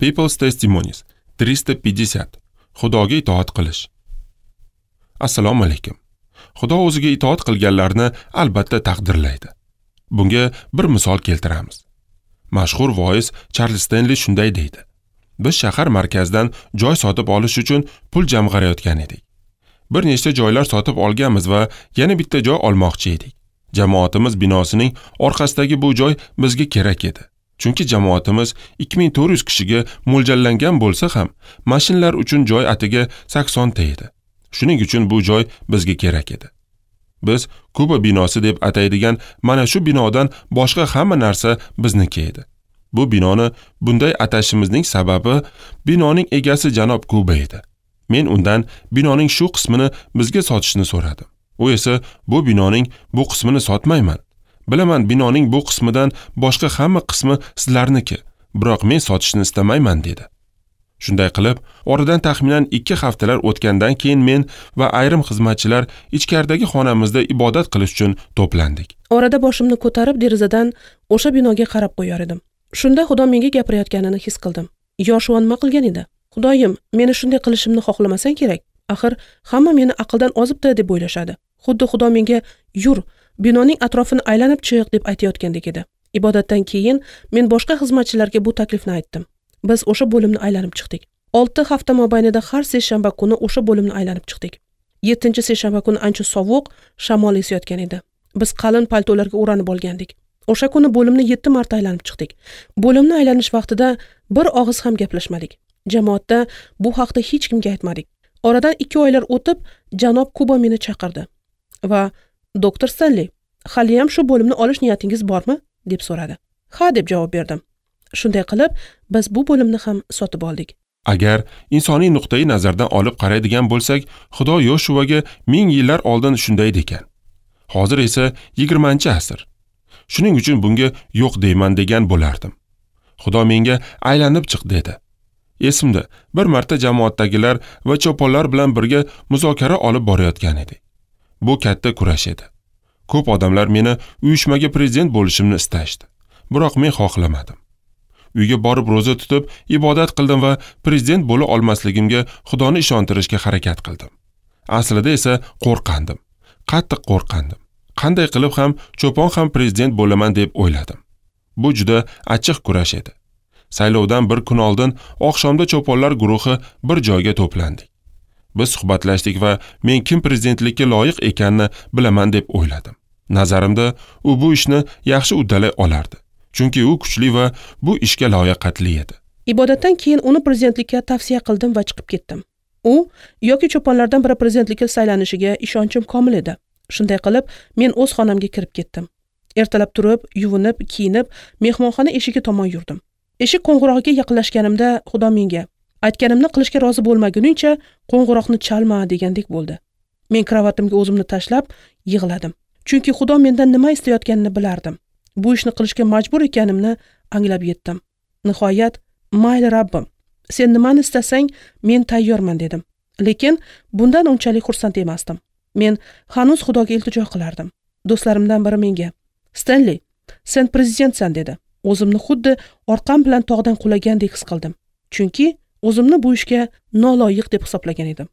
People's Testimonies 350. Xudoga itoat qilish. Assalomu alaykum. Xudo o'ziga itoat qilganlarni albatta taqdirlaydi. Bunga bir misol keltiramiz. Mashhur voiz Charles Stanley shunday deydi: Biz shahar markazidan joy sotib olish uchun pul jamg'arayotgan edik. Bir nechta joylar sotib olganmiz va yana bitta joy olmoqchi edik. Jamoatimiz binosining orqasidagi bu joy bizga kerak edi. Chunki jamoatimiz 2400 kishiga mo'ljallangan bo'lsa ham, mashinalar uchun joy atiga 80 ta edi. Shuning uchun bu joy bizga kerak edi. Biz Kuba binosi deb ataydigan mana shu binodan boshqa hamma narsa bizniki edi. Bu binoni bunday atashimizning sababi binoning egasi janob Kuba edi. Men undan binoning shu qismini bizga sotishni so'radim. U esa bu binoning bu qismini sotmayman. Bilaman, binoning bu qismidan boshqa hamma qismi sizlarniki, biroq men sotishni istamayman dedi. Shunday qilib, oradan taxminan 2 haftalar o'tgandan keyin men va ayrim xizmatchilar ichkaridagi xonamizda ibodat qilish uchun to'plandik. Orada boshimni ko'tarib derazadan o'sha binoga qarab qo'yar edim. Shunda Xudo menga gapirayotganini his qildim. Yoshua nima qilgan edi? Xudoyim, meni shunday qilishimni xohlamasang kerak. Axir hamma meni aqldan ozibdi deb o'ylashadi. Xuddi Xudo menga yur, binoning atrofini aylanib chiq deb aytayotgandek edi. Ibodatdan keyin men boshqa xizmatchilarga bu taklifni aytdim. Biz o'sha bo'limni aylanib chiqdik. 6 hafta mobaynida har seshanba kuni o'sha bo'limni aylanib chiqdik. 7-seshanba kuni ancha sovuq, shamol esayotgan edi. Biz qalin paltolarga o'ranib olgandik. O'sha kuni bo'limni 7 marta aylanib chiqdik. Bo'limni aylanish vaqtida bir og'iz ham gaplashmadik. Jamoatda bu haqda hech kimga aytmadik. Oradan 2 oylar o'tib, janob Kuba meni chaqirdi va "Doktor Stanley, hali ham shu bo'limni olish niyatingiz bormi?" deb so'radi. "Ha" deb javob berdim. Shunday qilib, biz bu bo'limni ham sotib oldik. Agar insoniy nuqtai nazardan olib qaraydigan bo'lsak, Xudo Yoshuaga 1000 yillar oldin shunday degan. Hozir esa 20-asr. Shuning uchun bunga yo'q deyman degan bo'lardim. Xudo menga aylanib chiq dedi. Esimda, bir marta jamoatdagilar va choponlar bilan birga muzokara olib borayotgan edik. Bu katta kurash edi. Ko'p odamlar meni uyushmaga prezident bo'lishimni istashdi. Biroq men xohlamadim. Uyga borib ro'za tutib, ibodat qildim va prezident bo'la olmasligimga Xudoni ishontirishga harakat qildim. Aslida esa qo'rqandim. Qattiq qo'rqandim. Qanday qilib ham cho'pon ham prezident bo'laman deb o'yladim. Bu juda achchiq kurash edi. Saylovdan bir kun oldin oqshomda cho'ponlar guruhi bir joyga to'plandik. Biz suhbatlashdik va men kim prezidentlikka loyiq ekanini bilaman deb o'yladim. Nazarimda u bu ishni yaxshi uddalay olardi. Chunki u kuchli va bu ishga layoqatli edi. Ibodatdan keyin uni prezidentlikka tavsiya qildim va chiqib ketdim. U yoki cho'ponlardan biri prezidentlikka saylanishiga ishonchim komil edi. Shunday qilib, men o'z xonamga kirib ketdim. Ertalab turib, yuvinib, kiyinib, mehmonxona eshigi tomon yurdim. Eshik qo'ng'irog'iga yaqinlashganimda Xudo menga aytganimni qilishga rozi bo'lmaguningcha qo'ng'iroqni chalma degandek bo'ldi. Men kravatimga o'zimni tashlab yig'ladim. Chunki Xudo mendan nima istayotganini bilardim. Bu ishni qilishga majbur ekanimni anglab yetdim. Nihoyat, "Mayli Rabbim, sen nimani istasang, men tayyorman" dedim. Lekin bundan unchalik xursand emasdim. Men hanuz Xudoga iltijo qilardim. Do'stlarimdan biri menga: "Stanley, sen prezidentsan" dedi. O'zimni xuddi orqam bilan tog'dan qulagandek his qildim. Chunki o'zimni bu ishga noloyiq deb hisoblagan edim.